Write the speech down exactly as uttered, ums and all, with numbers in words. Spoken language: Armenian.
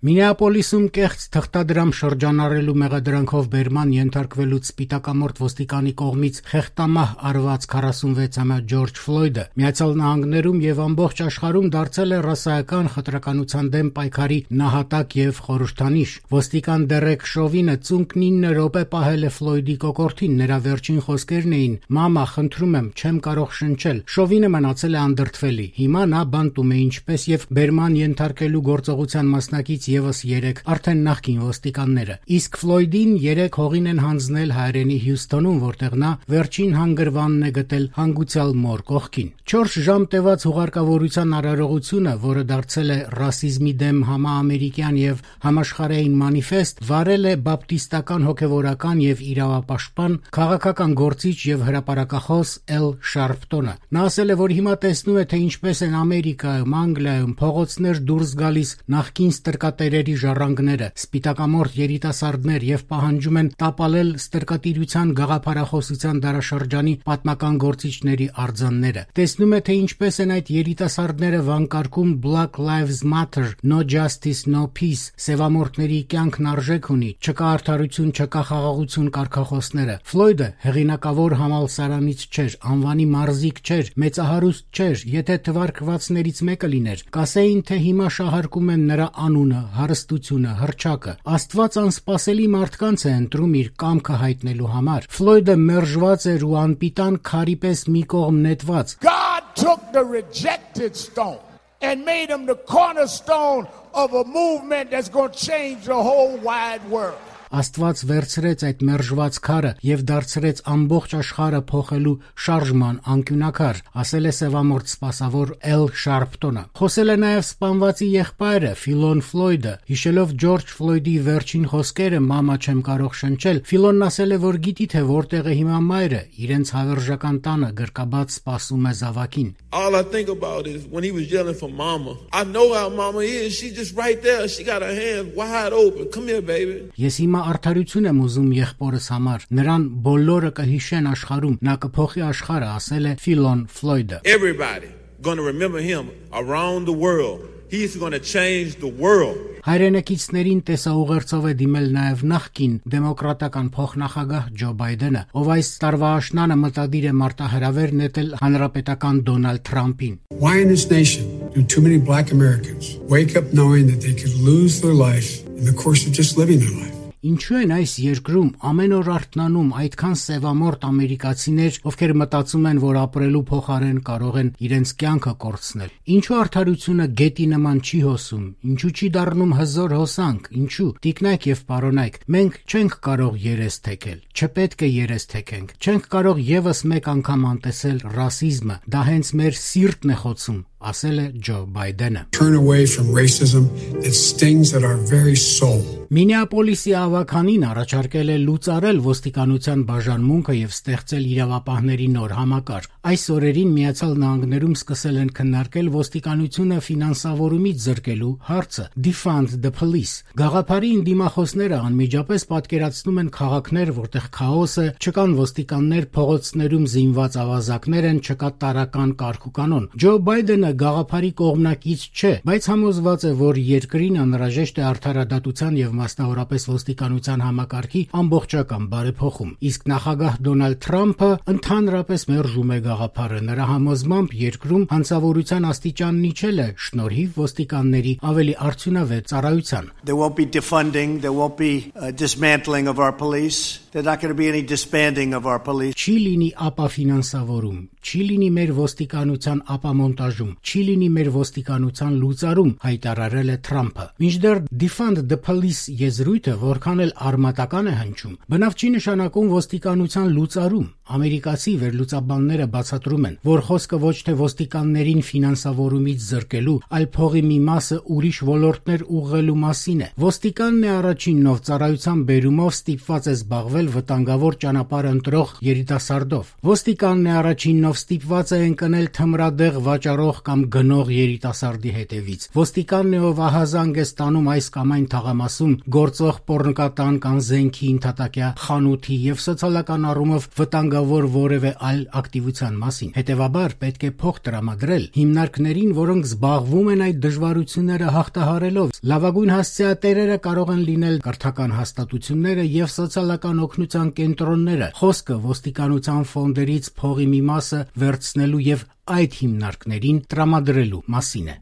Մինեապոլիսում կեղծ թղթադրամ շրջանառելու մեղադրանքով բերման ենթարկվելուց սպիտակամորթ ոստիկանի կողմից խեղդամահ արված քառասունվեցամյա Ջորջ Ֆլոյդը Միացյալ Նահանգներում եւ ամբողջ աշխարհում դարձել է ռասայական խտրականության դեմ պայքարի նահատակ եւ խորհրդանիշ։ Ոստիկան Դերեկ Շովինը ծունկն ինը րոպե պահել է Ֆլոյդի կոկորդին, նրա վերջին խոսքերն էին. «Մամա, խնդրում եմ, չեմ կարող շնչել»։ Շովինը մնացել է անդրդվելի։ Հիմա նա բանտում է ինչպես եւ բերման ենթարկելու գործողության մասնակից եւս երեք արդեն նախկին ոստիկանները։ Իսկ Ֆլոյդին երեք հողին են հանձնել հայրենի Հյուսթոնում, որտեղ նա վերջին հանգրվանն է գտել հանգուցյալ մոր կողքին։ Չորս ժամ տևած հուղարկավորության արարողությունը, որը դարձել է ռասիզմի դեմ համաամերիկյան եւ համաշխարհային մանիֆեստ, վարել է բապտիստական հոգեվորական եւ իրավապաշտպան, քաղաքական գործիչ եւ հրապարակախոս Էլ Շարպտոնը։ Նա ասել է, որ հիմա տեսնում է, թե ինչպես են Ամերիկայում, Անգլիայում փողոցներ դուրս գալիս նախկին ստրկատերերի ժառանգները, սպիտակամորթ երիտասարդներ եւ պահանջում են տապալել ստրկատիրության գաղափարախոսության դարաշրջանի պատմական գործիչների արձանները։ Տեսնում է, թե ինչպես են այդ երիտասարդները վանկարկում Black Lives Matter, No Justice, No Peace, սևամորթների կյանքն արժեք ունի, չկա արդարություն, չկա խաղաղություն կարգախոսները։ Ֆլոյդը հեղինակավոր համալսարանից չէր, անվանի մարզիկ չէր, մեծահարուստ չէր, եթե թվարկվածներից մեկը լիներ, կասեին, թե հիմա շահարկում են նրա անունը, հարստությունը, հռչակը։ Աստված անսպասելի մարդկանց է ընտրում իր կամքը հայտնելու համար։ Ֆլոյդը մերժված էր ու անպիտան քարի պես մի կողմ նետված։ God took the rejected stone and made him the cornerstone of a movement that's going to change the whole wide world. Աստված վերցրեց այդ մերժված քարը եւ դարձրեց ամբողջ աշխարհը փոխելու շարժման անկյունակար, ասել է սևամորթ սպասավոր Էլ Շարպտոնը։ Խոսել է նաեւ սպանվածի եղբայրը Ֆիլոն Ֆլոյդը, հիշելով Ջորջ Ֆլոյդի վերջին խոսքերը՝ «Մամա, չեմ կարող շնչել», Ֆիլոնն ասել է, որ գիտի թե որտեղ է հիմա մայրը, իրենց հավերժական տանը գրկաբաց սպասում է զավակին։ All I think about is when he was yelling for mama. I know how mama is. She just right there. She got her hands wide open. Come here, baby. Ես հիմա արդարություն եմ ուզում եղբորս համար։ Նրան բոլորը կհիշեն աշխարհում, նա կփոխի աշխարհը, ասել է Ֆիլոն Ֆլոյդը։ Everybody going to remember him around the world. He's going to change the world. Հայրենակիցներին տեսաուղերձով է դիմել նաև նախկին դեմոկրատական փոխնախագահ Ջո Բայդենը, ով այս տարվա աշնանը մտադիր է մարտահրավեր նետել հանրապետական Դոնալդ Թրամփին։ Why in this nation do too many black Americans wake up knowing that they could lose their life in the course of just living their life? Ինչու են այս երկրում ամեն օր արթնանում այդքան սևամորթ ամերիկացիներ, ովքեր մտածում են, որ ապրելու փոխարեն կարող են իրենց կյանքը կորցնել։ Ինչու արդարությունը գետի նման չի հոսում, ինչու չի դառնում հզոր հոսանք, ինչու։ Տիկնայք եւ պարոնայք, մենք չենք կարող երես թեքել, չպետք է երես թեքենք, չենք կարող եւս մեկ անգամ անտեսել ռասիզմը, դա հենց մեր սիրտն է խոցում, ասել է Ջո Բայդենը։ Turn away from racism that stings at our very soul. Մինեապոլիսի ավականին առաջարկել է լուծարել ոստիկանության բաժանմունքը եւ ստեղծել իրավապահների նոր համակարգ։ Այս օրերին Միացյալ Նահանգներում սկսել են քննարկել ոստիկանությունը ֆինանսավորումից զրկելու հարցը։ Defund the police։ Գաղափարի դիմախոսները անմիջապես պատկերացնում են քաղաքներ, որտեղ քաոս է, չկան ոստիկաններ, փողոցներում զինված ավազակներ են, չկա տարրական կարգ ու կանոն։ Ջո Բայդենը գաղափարի կողմնակից չէ, բայց համոզված է, որ երկրին անհրաժեշտ է արդարադատության եւ մասնավորապես ոստիկանության համակարգի ամբողջական բարեփոխում։ Իսկ նախագահ Դոնալդ Թրամփը ընդհանրապես մերժում է գաղափարը։ Նրա համոզմամբ երկրում հանցավորության աստիճանն իջել է շնորհիվ ոստիկանների ավելի արդյունավետ ծառայության։ There won't be defunding, there won't be uh, dismantling of our police. There's not going to be any disbanding of our police. Չի լինի ապաֆինանսավորում, չի լինի մեր ոստիկանության ապամոնտաժում, չի լինի մեր ոստիկանության լուծարում, հայտարարել է Թրամփը։ Մինչդեռ Defund the Police եզրույթը որքան էլ արմատական է հնչում, բնավ չի նշանակում ոստիկանության լուծարում։ Ամերիկացի վերլուծաբանները բացատրում են, որ խոսքը ոչ թե ոստիկաններին ֆինանսավորումից զրկելու, այլ փողի մի մասը ուրիշ ոլորտներ ուղղելու մասին է։ Ոստիկանն է առաջինն, ով ծառայության բերումով ստիպված է զբաղվել վտանգավոր ճանապարհ ընտրող երիտասարդով։ Ոստիկանն է առաջինն, ով ով ստիպված է ընկնել թմրադեղ վաճառող կամ գնող երիտասարդի հետևից։ Ոստիկանն է, ով ահազանգ է ստանում այս կամ այն թաղամասում գործող պոռնկատան կամ զենքի ընդհատակյա խանութի եւ սոցիալական առումով վտանգավոր որևէ այլ ակտիվության մասին։ Հետևաբար պետք է փող տրամադրել հիմնարկներին, որոնք զբաղվում են այդ դժվարությունները հաղթահարելով։ Լավագույն հասցեատերերը կարող են լինել կրթական հաստատությունները եւ սոցիալական օգնության կենտրոնները։ Խոսքը ոստիկանության ֆոնդերից փողի մի մասը վերցնելու եւ այդ հիմնարկներին տրամադրելու մասին է։